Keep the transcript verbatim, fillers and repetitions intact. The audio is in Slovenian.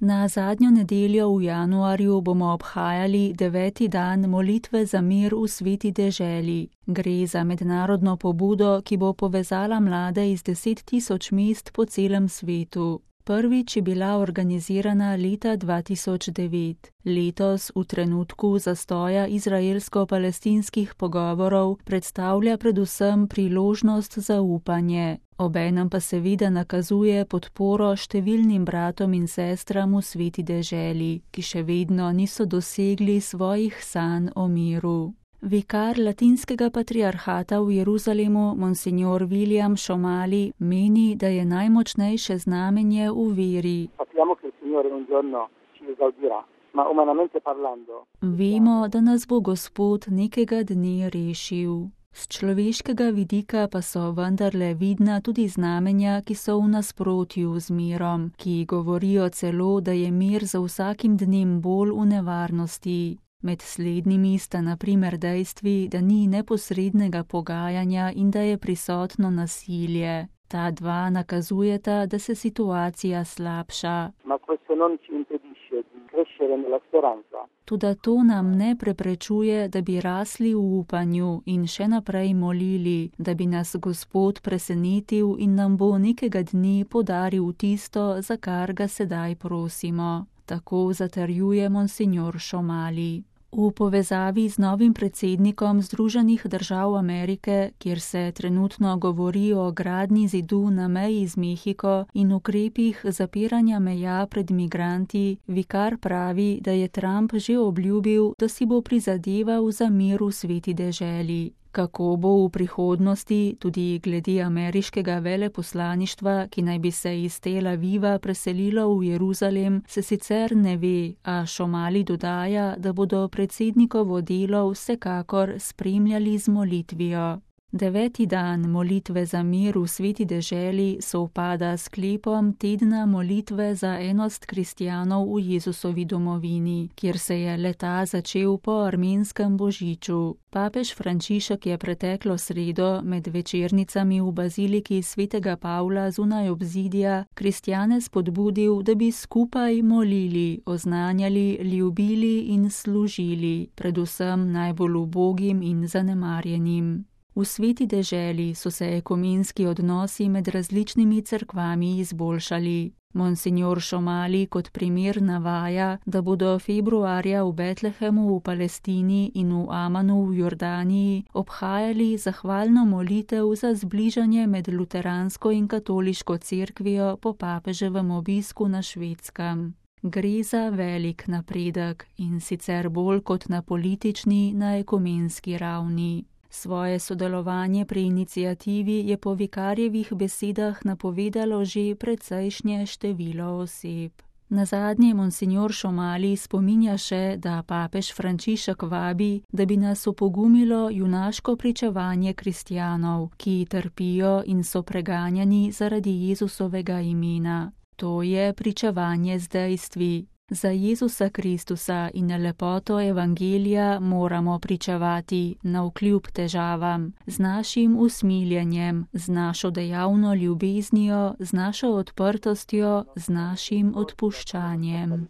Na zadnjo nedeljo v januarju bomo obhajali deveti dan molitve za mir v sveti deželi. Gre za mednarodno pobudo, ki bo povezala mlade iz deset tisoč mest po celem svetu. Prvič je bila organizirana leta dva tisoč devet. Letos, v trenutku zastoja izraelsko-palestinskih pogovorov, predstavlja predvsem priložnost za upanje. Obenem pa seveda nakazuje podporo številnim bratom in sestram v sveti deželi, ki še vedno niso dosegli svojih sanj o miru. Vikar latinskega patriarhata v Jeruzalemu, monsignor William Somali, meni, da je najmočnejše znamenje v veri. Vemo, da nas bo Gospod nekega dne rešil. Z človeškega vidika pa so vendarle vidna tudi znamenja, ki so v nasprotju z mirom, ki govorijo celo, da je mir za vsakim dnem bolj v nevarnosti. Med slednjimi sta na primer dejstvi, da ni neposrednega pogajanja in da je prisotno nasilje. Ta dva nakazujeta, da se situacija slabša. Toda to nam ne preprečuje, da bi rasli v upanju in še naprej molili, da bi nas Gospod presenetil in nam bo nekega dne podaril tisto, za kar ga sedaj prosimo. Tako zatrjuje monsignor Somali. V povezavi z novim predsednikom Združenih držav Amerike, kjer se trenutno govori o gradnji zidu na meji z Mehiko in ukrepih zapiranja meja pred migranti, vikar pravi, da je Trump že obljubil, da si bo prizadeval za mir v sveti deželi. Kako bo v prihodnosti, tudi glede ameriškega veleposlaništva, ki naj bi se iz Tel Aviva preselilo v Jeruzalem, se sicer ne ve, a Somali dodaja, da bodo predsednikovo delo vsekakor spremljali z molitvijo. Deveti dan molitve za mir v sveti deželi sovpada s sklepom tedna molitve za enost kristjanov v Jezusovi domovini, kjer se je le-ta začel po armenskem božiču. Papež Frančišek je preteklo sredo med večernicami v baziliki svetega Pavla zunaj obzidja kristjane spodbudil, da bi skupaj molili, oznanjali, ljubili in služili, predvsem najbolj ubogim in zanemarjenim. V sveti deželi so se ekumenski odnosi med različnimi cerkvami izboljšali. Monsignor Somali kot primer navaja, da bodo februarja v Betlehemu v Palestini in v Amanu v Jordaniji obhajali zahvalno molitev za zbližanje med luteransko in katoliško cerkvijo po papeževem obisku na Švedskem. Gre za velik napredek in sicer bolj kot na politični, na ekumenski ravni. Svoje sodelovanje pri iniciativi je po vikarjevih besedah napovedalo že precejšnje število oseb. Nazadnje monsignor Somali spominja še, da papež Frančišek vabi, da bi nas opogumilo junaško pričevanje kristjanov, ki trpijo in so preganjani zaradi Jezusovega imena. To je pričevanje z dejstvi. Za Jezusa Kristusa in lepoto evangelija moramo pričevati navkljub težavam, z našim usmiljenjem, z našo dejavno ljubeznijo, z našo odprtostjo, z našim odpuščanjem.